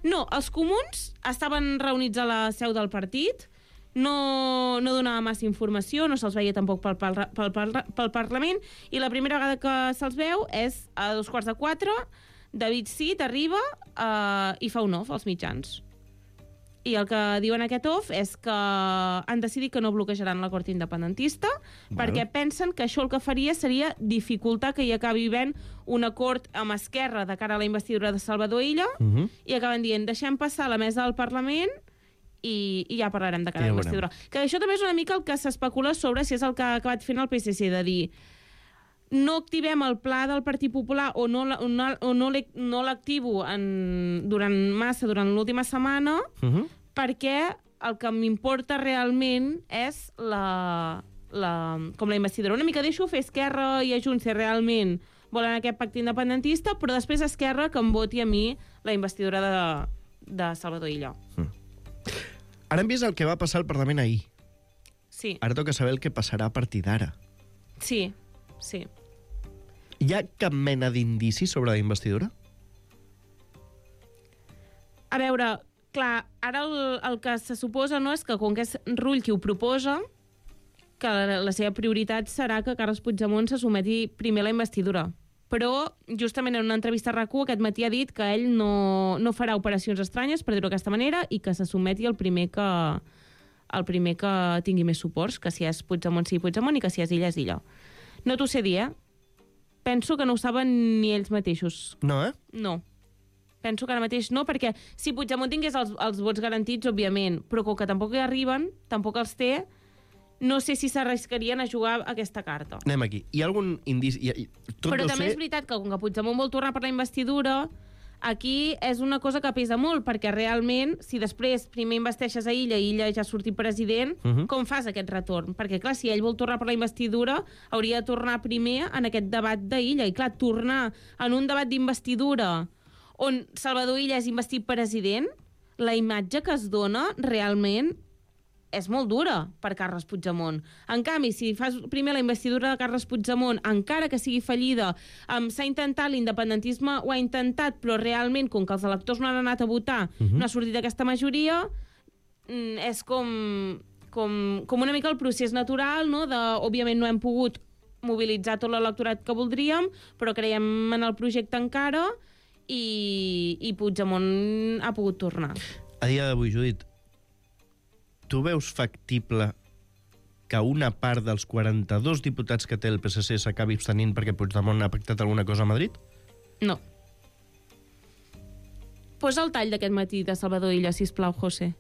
No, els comuns estaven reunits a la seu del partit, no, no donava massa informació, no se'ls veia tampoc pel, pel, pel, pel, pel Parlament, i la primera vegada que se'ls veu és a dos quarts de quatre, David Cid arriba eh, i fa un off als mitjans. I el que diuen aquest off és que han decidit que no bloquejaran l'acord independentista, Val. perquè pensen que això el que faria seria dificultar que hi acabi havent un acord amb Esquerra de cara a la investidura de Salvador Illa, Uh -huh. i acaben dient, deixem passar la mesa del Parlament i, i ja parlarem de cara Ja a la ho investidura. Que això també és una mica el que s'especula sobre si és el que ha acabat fent el P S C, de dir no activem el pla del Partit Popular o no, o no, o no l'he- no l'activo en- durant massa, durant l'última setmana, Uh -huh. perquè el que m'importa realment és la, la, com la investidura. Una mica deixo fer Esquerra i a Junts si realment volen aquest pacte independentista, però després Esquerra que em voti a mi la investidura de, de Salvador Illa. Ara hem vist el que va passar al Parlament ahir. Sí, Ara toca saber el que passarà a partir d'ara. sí, sí. Hi ha cap mena d'indici sobre la investidura? A veure, clar, ara el, el que se suposa no és que com que és Rull qui ho proposa, que la, la seva prioritat serà que Carles Puigdemont se someti primer a la investidura. Però, justament en una entrevista a RAC u aquest matí ha dit que ell no, no farà operacions estranyes, per dir-ho d'aquesta manera, i que se someti el primer que, el primer que tingui més suports, que si és Puigdemont sigui Puigdemont i que si és Illa és Illa. No t'ho sé dir, eh? Penso que no ho saben ni ells mateixos. No, eh? No. Penso que ara mateix no, perquè si Puigdemont tingués els, els vots garantits, òbviament, però com que tampoc hi arriben, tampoc els té, no sé si s'arriscarien a jugar aquesta carta. Anem aquí. Hi ha algun indici... Hi ha... Tot Però deu també ser... és veritat que com que Puigdemont vol tornar per la investidura, aquí és una cosa que pesa molt, perquè realment, si després primer investeixes a Illa i Illa ja ha sortit president, uh -huh. com fas aquest retorn? Perquè, clar, si ell vol tornar per la investidura, hauria de tornar primer en aquest debat d'Illa. I, clar, tornar en un debat d'investidura on Salvador Illa és investit president, la imatge que es dona realment és molt dura per Carles Puigdemont. En canvi, si fas primer la investidura de Carles Puigdemont, encara que sigui fallida, um, s'ha intentat, l'independentisme ho ha intentat, però realment, com que els electors no han anat a votar, uh -huh. no ha sortit aquesta majoria, mm, és com, com, com una mica el procés natural, no? De, òbviament no hem pogut mobilitzar tot l'electorat que voldríem, però creiem en el projecte encara i, i Puigdemont ha pogut tornar. A dia d'avui, Judit, tu veus factible que una part dels quaranta-dos diputats que té el P S C s'acabi abstenint perquè Puigdemont ha pactat alguna cosa a Madrid? No. Posa el tall d'aquest matí de Salvador Illa, sisplau, José.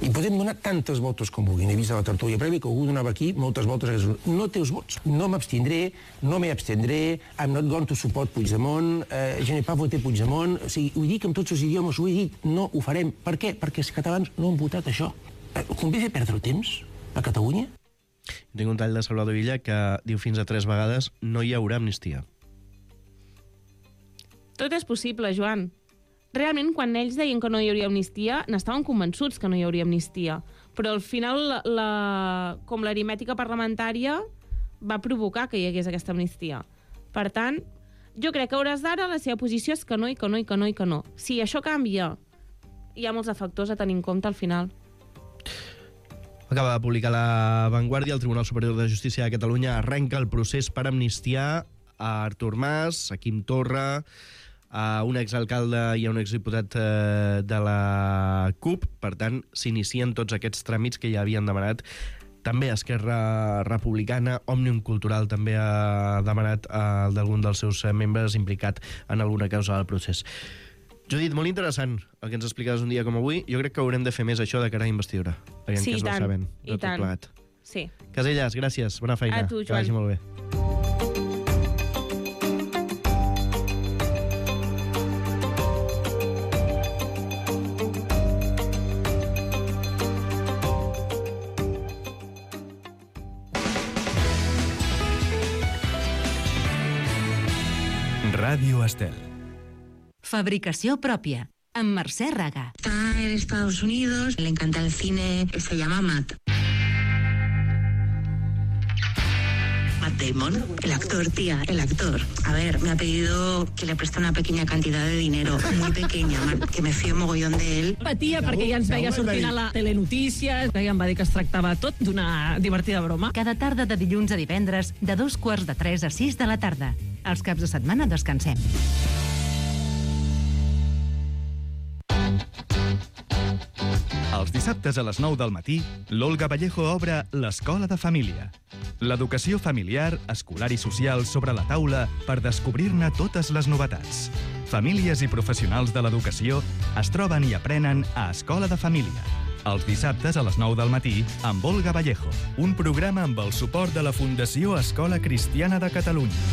I podem donar tantes voltes com vulguin. He vist a la tertúlia prèvia que algú donava aquí moltes voltes. No té els vots. No m'abstindré, no m'hi abstendré, I'm not going to support Puigdemont, eh, je n'ai pas voté Puigdemont. O sigui, ho dic en tots els idiomes, ho he dit, no ho farem. Per què? Perquè els catalans no han votat això. Convé fer perdre el temps a Catalunya? Tinc un tall de Salvador Illa que diu fins a tres vegades no hi haurà amnistia. Tot és possible, Joan. Realment, quan ells deien que no hi hauria amnistia, n'estaven convençuts que no hi hauria amnistia. Però al final, la, la, com l'aritmètica parlamentària va provocar que hi hagués aquesta amnistia. Per tant, jo crec que a hores d'ara la seva posició és que no, i que no, i que no, i que no. Si això canvia, hi ha molts de factors a tenir en compte al final. Acaba de publicar La Vanguardia, el Tribunal Superior de Justícia de Catalunya arrenca el procés per amnistiar a Artur Mas, a Quim Torra, a un exalcalde i a un exdiputat eh, de la CUP. Per tant, s'inicien tots aquests tràmits que ja havien demanat. També Esquerra Republicana, Òmnium Cultural també ha demanat eh, d'algun dels seus membres implicat en alguna causa del procés. Judit, molt interessant el que ens explicaves un dia com avui. Jo crec que haurem de fer més això de cara a investidura. Sí, i tant. Saben, I tant. Plegat. Sí. Casellas, gràcies. Bona feina. A tu, Joan. Que vagi molt bé. Ràdio Estel. Fabricació pròpia, amb Mercè Raga. Está en Estados Unidos, le encanta el cine, se llama Matt. Matt Damon, el actor, tía, el actor. A ver, me ha pedido que le preste una pequeña cantidad de dinero, muy pequeña, que me fío mogollón de él. Patia perquè ja ens veia sortint a la telenotícies, ja em va dir que es tractava tot d'una divertida broma. Cada tarda de dilluns a divendres, de dos quarts de tres a sis de la tarda. Els caps de setmana descansem. Els dissabtes a les nou del matí, l'Olga Vallejo obre l'Escola de Família. L'educació familiar, escolar i social sobre la taula per descobrir-ne totes les novetats. Famílies i professionals de l'educació es troben i aprenen a Escola de Família. Els dissabtes a les nou del matí, amb Olga Vallejo. Un programa amb el suport de la Fundació Escola Cristiana de Catalunya.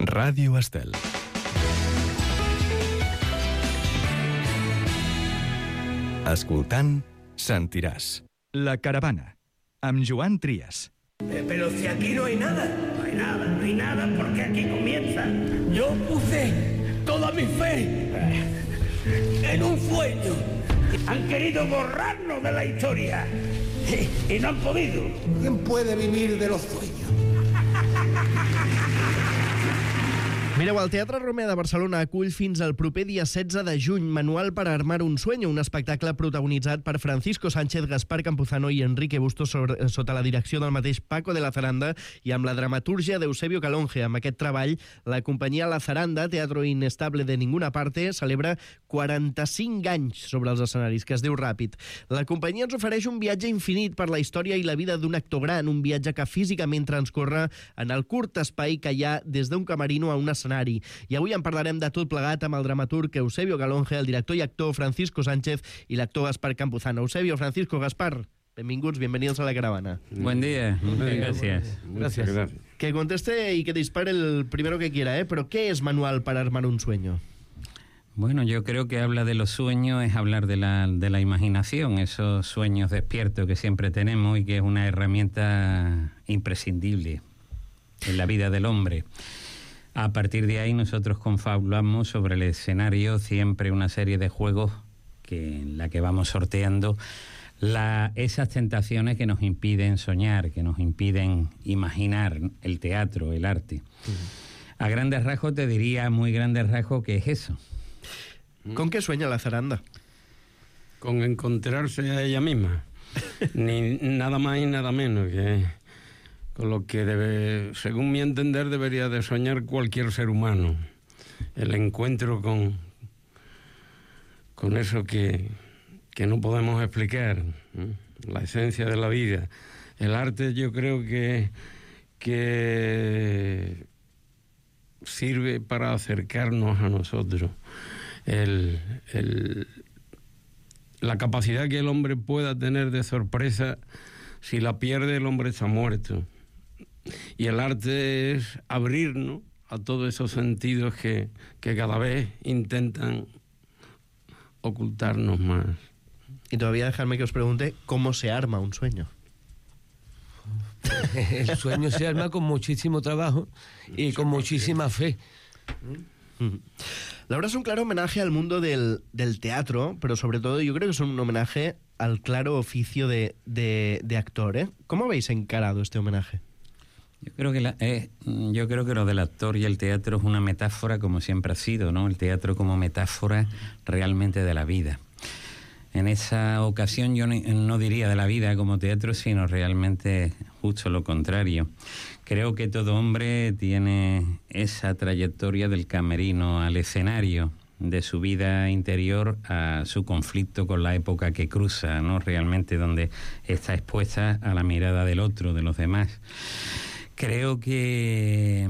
Ràdio Estel. Escoltant, sentiràs. La caravana, amb Joan Trias. Eh, pero si aquí no hay nada. No hay nada, no hay nada porque aquí comienza. Yo puse toda mi fe en un sueño. Han querido borrarnos de la historia y, y no han podido. ¿Quién puede vivir de los sueños? Mireu, el Teatre Romea de Barcelona acull fins al proper dia setze de juny Manual para armar un sueño, un espectacle protagonitzat per Francisco Sánchez, Gaspar Campuzano i Enrique Bustos sobre, sota la direcció del mateix Paco de la Zaranda i amb la dramatúrgia d'Eusebio Calonge. Amb aquest treball, la companyia La Zaranda, Teatro Inestable de Ninguna Parte, celebra quaranta-cinc anys sobre els escenaris, que es diu ràpid. La companyia ens ofereix un viatge infinit per la història i la vida d'un actor gran, un viatge que físicament transcorre en el curt espai que hi ha des d'un camerino a un escenari. I avui en parlarem de tot plegat amb el dramaturg Eusebio Calonge, el director i actor Francisco Sánchez i l'actor Gaspar Campuzano. Eusebio, Francisco, Gaspar, benvinguts, bienvenidos a la caravana. Buen día, gracias. Gracias. Gracias. Que conteste y que dispare el primero que quiera, ¿eh? Pero ¿qué es Manual para armar un sueño? Bueno, yo creo que habla de los sueños, es hablar de la, de la imaginación, esos sueños despiertos que siempre tenemos y que es una herramienta imprescindible en la vida del hombre. A partir de ahí nosotros confabulamos sobre el escenario siempre una serie de juegos que, en la que vamos sorteando la, esas tentaciones que nos impiden soñar, que nos impiden imaginar el teatro, el arte. Uh-huh. A grandes rasgos te diría, muy grandes rasgos, ¿qué es eso? ¿Con qué sueña la Zaranda? Con encontrarse a ella misma. Ni nada más y nada menos que... con lo que, debe, según mi entender, debería de soñar cualquier ser humano. El encuentro con, con eso que, que no podemos explicar, ¿eh? La esencia de la vida. El arte, yo creo que, que sirve para acercarnos a nosotros. El, el, la capacidad que el hombre pueda tener de sorpresa, si la pierde, el hombre está muerto. Y el arte es abrirnos a todos esos sentidos que, que cada vez intentan ocultarnos más. Y todavía dejadme que os pregunte cómo se arma un sueño. El sueño se arma con muchísimo trabajo y con muchísima fe. La obra es un claro homenaje al mundo del, del teatro, pero sobre todo yo creo que es un homenaje al claro oficio de, de, de actor, ¿eh? ¿Cómo habéis encarado este homenaje? Yo creo que la, eh, yo creo que lo del actor y el teatro es una metáfora, como siempre ha sido, ¿no? El teatro como metáfora realmente de la vida. En esa ocasión yo no, no diría de la vida como teatro, sino realmente justo lo contrario. Creo que todo hombre tiene esa trayectoria del camerino al escenario, de su vida interior a su conflicto con la época que cruza, ¿no? Realmente donde está expuesta a la mirada del otro, de los demás. Creo que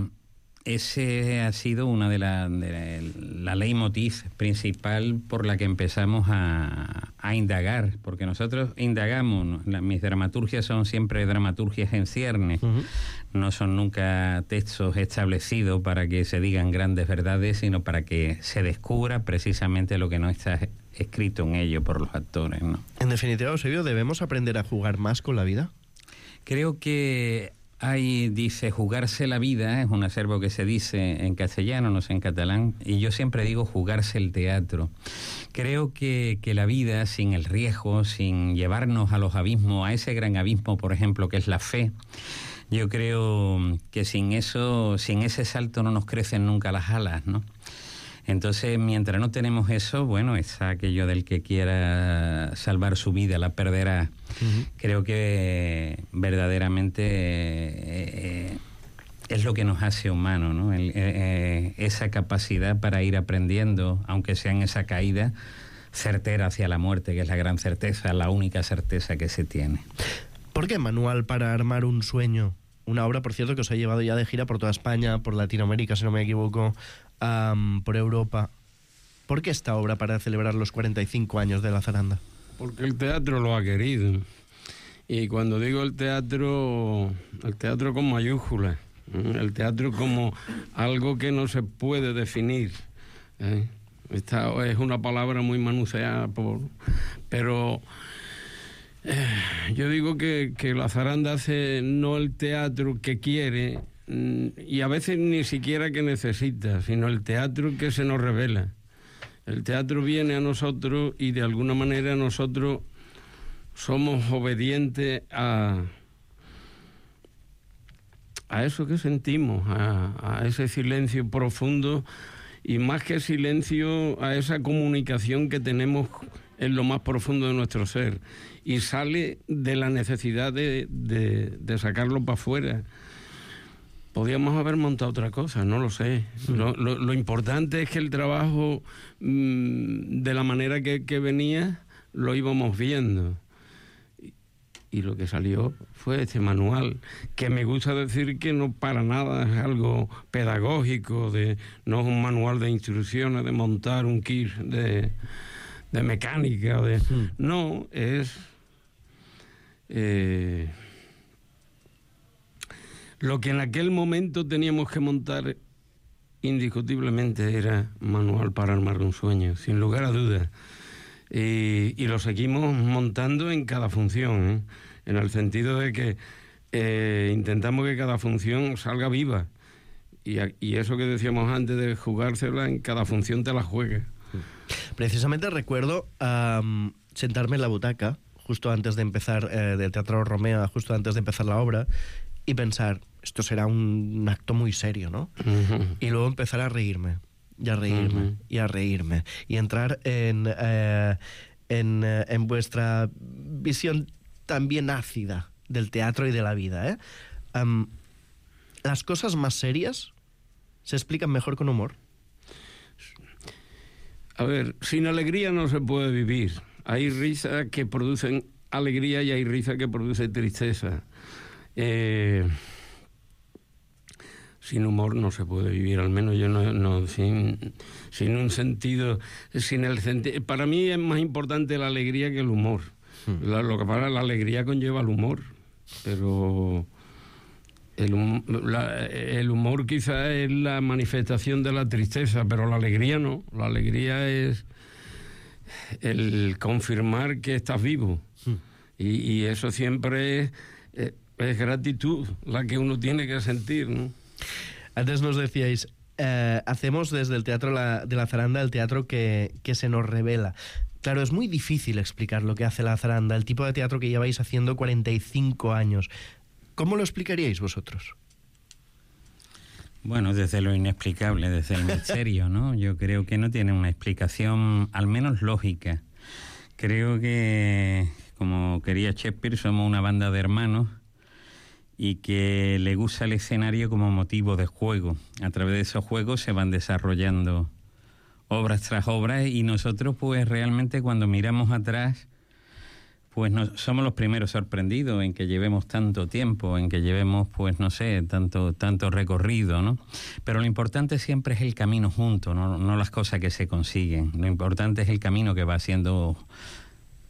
ese ha sido una de las de la leitmotiv principal por la que empezamos a, a indagar, porque nosotros indagamos, la, mis dramaturgias son siempre dramaturgias en ciernes, uh-huh. No son nunca textos establecidos para que se digan grandes verdades, sino para que se descubra precisamente lo que no está escrito en ello por los actores, ¿no? En definitiva, Eusebio, ¿debemos aprender a jugar más con la vida? Creo que hay, dice, jugarse la vida, es un acervo que se dice en castellano, no sé en catalán, y yo siempre digo jugarse el teatro. Creo que, que la vida, sin el riesgo, sin llevarnos a los abismos, a ese gran abismo, por ejemplo, que es la fe, yo creo que sin eso, sin ese salto no nos crecen nunca las alas, ¿no? Entonces, mientras no tenemos eso, bueno, es aquello del que quiera salvar su vida, la perderá. Uh-huh. Creo que verdaderamente eh, eh, es lo que nos hace humanos, ¿no? El, eh, esa capacidad para ir aprendiendo, aunque sea en esa caída certera hacia la muerte, que es la gran certeza, la única certeza que se tiene. ¿Por qué Manual para armar un sueño? Una obra, por cierto, que os ha llevado ya de gira por toda España, por Latinoamérica, si no me equivoco, um, por Europa. ¿Por qué esta obra para celebrar los cuarenta y cinco años de La Zaranda? Porque el teatro lo ha querido. Y cuando digo el teatro, el teatro con mayúsculas, ¿eh? El teatro como algo que no se puede definir, ¿eh? Esta es una palabra muy manoseada, por, pero... Eh, yo digo que, que La Zaranda hace no el teatro que quiere y a veces ni siquiera que necesita, sino el teatro que se nos revela. El teatro viene a nosotros y de alguna manera nosotros somos obedientes a, a eso que sentimos, a, a ese silencio profundo, y más que silencio, a esa comunicación que tenemos en lo más profundo de nuestro ser, y sale de la necesidad de, de, de sacarlo para afuera. Podíamos haber montado otra cosa, no lo sé. Sí. Lo, lo, lo importante es que el trabajo, mmm, de la manera que, que venía, lo íbamos viendo. Y, y lo que salió fue este manual, que me gusta decir que no para nada es algo pedagógico, de, no es un manual de instrucciones de montar un kit de, de mecánica. De, sí. No, es... Eh, lo que en aquel momento teníamos que montar indiscutiblemente era manual para armar un sueño, sin lugar a dudas. Y, y lo seguimos montando en cada función, ¿eh? En el sentido de que eh, intentamos que cada función salga viva. Y, y eso que decíamos antes de jugársela, en cada función te la juegues. Precisamente recuerdo um, sentarme en la butaca justo antes de empezar, eh, del Teatro Romea, justo antes de empezar la obra, y pensar, esto será un acto muy serio, ¿no? Uh-huh. Y luego empezar a reírme, y a reírme, uh-huh. y a reírme, y entrar en, eh, en, eh, en vuestra visión también ácida del teatro y de la vida, ¿eh? Um, ¿Las cosas más serias se explican mejor con humor? A ver, sin alegría no se puede vivir. Hay risas que producen alegría y hay risa que produce tristeza. Eh, sin humor no se puede vivir, al menos yo no, no sin, sin un sentido, sin el sentido. Para mí es más importante la alegría que el humor. Hmm. La, lo que pasa, la alegría conlleva el humor, pero el, hum, la, el humor quizá es la manifestación de la tristeza, pero la alegría no. La alegría es el confirmar que estás vivo. Hmm. Y, y eso siempre es, es es gratitud la que uno tiene que sentir, ¿no? Antes nos decíais, eh, hacemos desde el Teatro la, de la Zaranda el teatro que, que se nos revela. Claro, es muy difícil explicar lo que hace la Zaranda, el tipo de teatro que lleváis haciendo cuarenta y cinco años. ¿Cómo lo explicaríais vosotros? Bueno, desde lo inexplicable, desde el misterio, ¿no? Yo creo que no tiene una explicación, al menos lógica. Creo que, como quería Shakespeare, somos una banda de hermanos y que le gusta el escenario como motivo de juego. A través de esos juegos se van desarrollando obras tras obras, y nosotros pues realmente cuando miramos atrás pues no, somos los primeros sorprendidos en que llevemos tanto tiempo, en que llevemos pues no sé, tanto, tanto recorrido, ¿no? Pero lo importante siempre es el camino junto, no, no las cosas que se consiguen. Lo importante es el camino que va siendo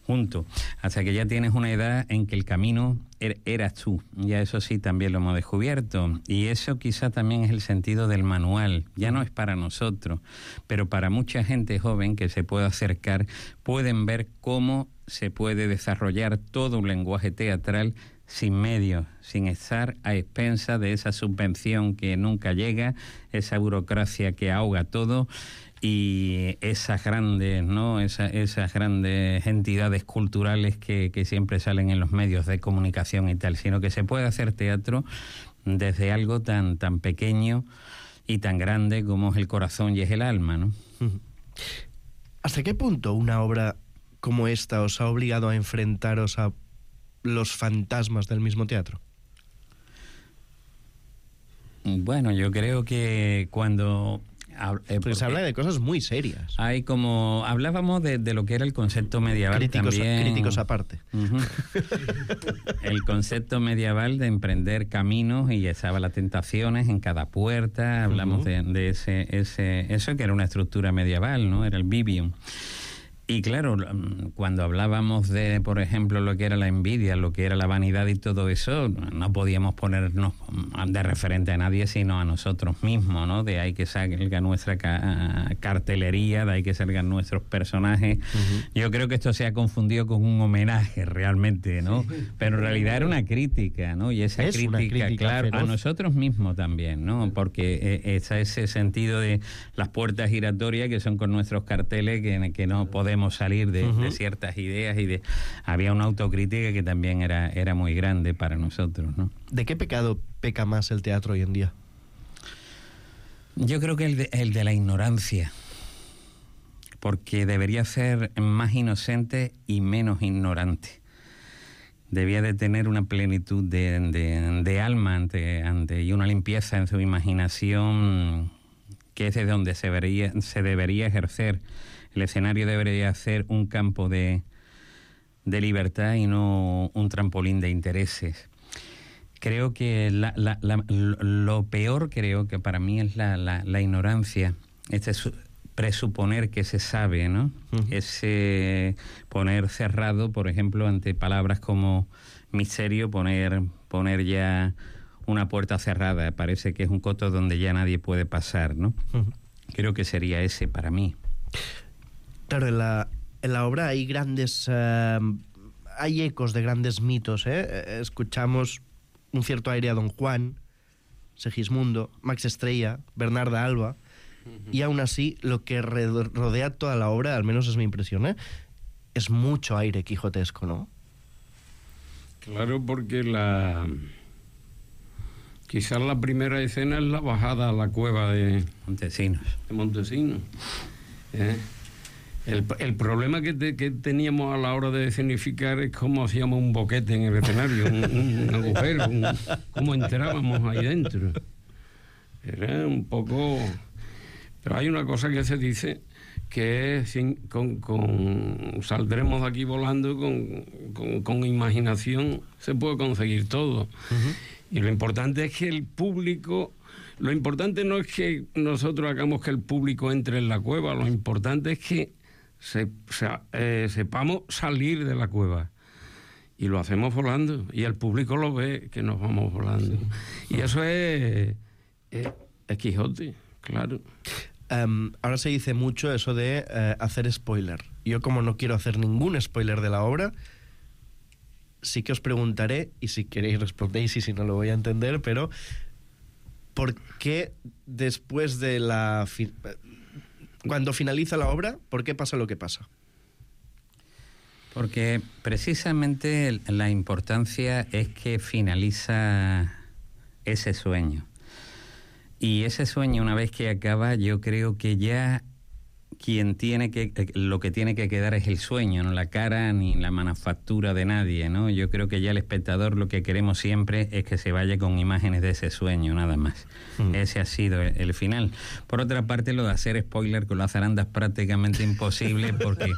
junto, hasta que ya tienes una edad en que el camino er, eras tú. Ya eso sí también lo hemos descubierto, y eso quizá también es el sentido del manual. Ya no es para nosotros, pero para mucha gente joven que se puede acercar, pueden ver cómo se puede desarrollar todo un lenguaje teatral sin medios, sin estar a expensas de esa subvención que nunca llega, esa burocracia que ahoga todo, y esas grandes, ¿no? Esa, esas grandes entidades culturales que, que siempre salen en los medios de comunicación y tal, sino que se puede hacer teatro desde algo tan, tan pequeño y tan grande como es el corazón y es el alma, ¿no? ¿Hasta qué punto una obra como esta os ha obligado a enfrentaros a los fantasmas del mismo teatro? Bueno, yo creo que cuando... Eh, porque se habla de cosas muy serias. Hay como... Hablábamos de, de lo que era el concepto medieval críticos, también. Críticos aparte. Uh-huh. El concepto medieval de emprender caminos, y estaba las tentaciones en cada puerta. Hablamos uh-huh. de, de ese, ese... Eso que era una estructura medieval, ¿no? Era el vivium. Y claro, cuando hablábamos de, por ejemplo, lo que era la envidia, lo que era la vanidad y todo eso, no podíamos ponernos de referente a nadie sino a nosotros mismos, ¿no? De ahí que salga nuestra ca cartelería, de ahí que salgan nuestros personajes. Uh-huh. Yo creo que esto se ha confundido con un homenaje realmente, ¿no? Sí. Pero en realidad era una crítica, ¿no? Y esa es crítica, crítica, claro, feroz. A nosotros mismos también, ¿no? Porque está ese sentido de las puertas giratorias que son con nuestros carteles que, que no podemos podemos salir de, Uh-huh. de ciertas ideas y de había una autocrítica que también era, era muy grande para nosotros, ¿no? ¿De qué pecado peca más el teatro hoy en día? Yo creo que el de, el de la ignorancia, porque debería ser más inocente y menos ignorante. Debía de tener una plenitud de, de, de alma ante, ante, y una limpieza en su imaginación, que es de donde se debería, se debería ejercer. El escenario debería ser un campo de, de libertad y no un trampolín de intereses. Creo que la, la, la, lo peor, creo que para mí es la, la, la ignorancia, este es presuponer que se sabe, ¿no? Uh-huh. Ese poner cerrado, por ejemplo, ante palabras como misterio, poner, poner ya una puerta cerrada, parece que es un coto donde ya nadie puede pasar, ¿no? Uh-huh. Creo que sería ese para mí. Claro, en la, en la obra hay grandes... Uh, hay ecos de grandes mitos, ¿eh? Escuchamos un cierto aire a Don Juan, Segismundo, Max Estrella, Bernarda Alba, uh-huh. Y aún así lo que rodea toda la obra, al menos es mi impresión, ¿eh? Es mucho aire quijotesco, ¿no? Claro, porque la... quizás la primera escena es la bajada a la cueva de Montesinos. De Montesinos. ¿Eh? El, el problema que, te, que teníamos a la hora de escenificar es cómo hacíamos un boquete en el escenario, un, un, un agujero, un, cómo entrábamos ahí dentro. Era un poco... Pero hay una cosa que se dice, que es sin, con, con, saldremos de aquí volando, con, con, con imaginación se puede conseguir todo. Uh-huh. Y lo importante es que el público... Lo importante no es que nosotros hagamos que el público entre en la cueva, lo importante es que Se, se, eh, sepamos salir de la cueva, y lo hacemos volando y el público lo ve que nos vamos volando, sí. Y eso es, es, es Quijote, claro. Um, ahora se dice mucho eso de uh, hacer spoiler. Yo, como no quiero hacer ningún spoiler de la obra, sí que os preguntaré, y si queréis respondéis y si no lo voy a entender, pero ¿por qué después de la... Fi- Cuando finaliza la obra, ¿por qué pasa lo que pasa? Porque precisamente la importancia es que finaliza ese sueño. Y ese sueño, una vez que acaba, yo creo que ya quien tiene que, lo que tiene que quedar es el sueño, no la cara ni la manufactura de nadie, ¿no? Yo creo que ya el espectador lo que queremos siempre es que se vaya con imágenes de ese sueño, nada más. Mm. Ese ha sido el, el final. Por otra parte, lo de hacer spoiler con la zaranda es prácticamente imposible, porque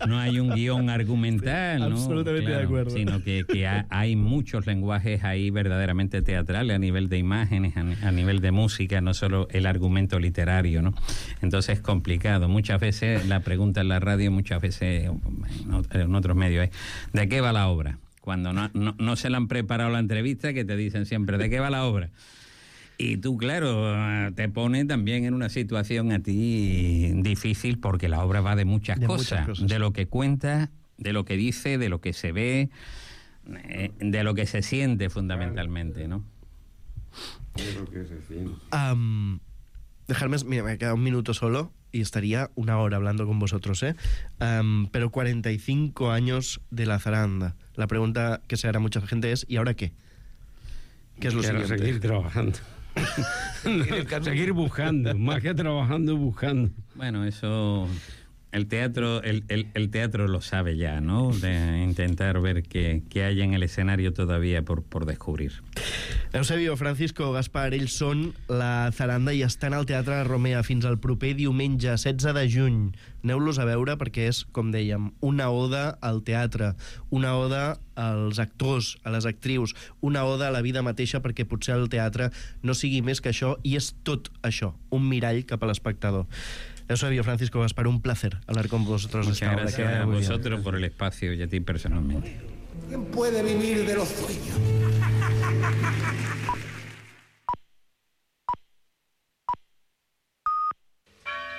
no hay un guión argumental, sí, ¿no? Absolutamente claro, de acuerdo. Sino que, que ha, hay muchos lenguajes ahí verdaderamente teatrales, a nivel de imágenes, a, a nivel de música, no solo el argumento literario, ¿no? Entonces es complicado. Muchas veces la pregunta en la radio, muchas veces en otros medios es ¿de qué va la obra? Cuando no, no, no se le han preparado la entrevista, que te dicen siempre ¿de qué va la obra? Y tú, claro, te pone también en una situación a ti difícil, porque la obra va de muchas, de cosas, muchas cosas, de lo que cuenta, de lo que dice, de lo que se ve, de lo que se siente fundamentalmente, ¿no? De lo que se siente. Um, dejarme, mira, me queda un minuto solo y estaría una hora hablando con vosotros, ¿eh? Um, pero cuarenta y cinco años de la zaranda. La pregunta que se hará mucha gente es ¿y ahora qué? ¿Qué es lo Quiero siguiente? Seguir trabajando. Seguir buscando, más que trabajando, buscando. Bueno, eso... El teatro, el, el, el teatro lo sabe ya, ¿no? De intentar ver qué, qué hay en el escenario todavía por, por descubrir. Eusebio, Francisco, Gaspar, ells són la zaranda i estan al Teatre Romea fins al proper diumenge setze de juny. Aneu-los a veure perquè és, com dèiem, una oda al teatre, una oda als actors, a les actrius, una oda a la vida mateixa, perquè potser el teatre no sigui més que això, i és tot això, un mirall cap a l'espectador. Eusebio, Francisco, Gaspar, un placer hablar con vosotros. Muchas gracias a vosotros por el espacio y a ti personalmente. ¿Quién puede vivir de los sueños?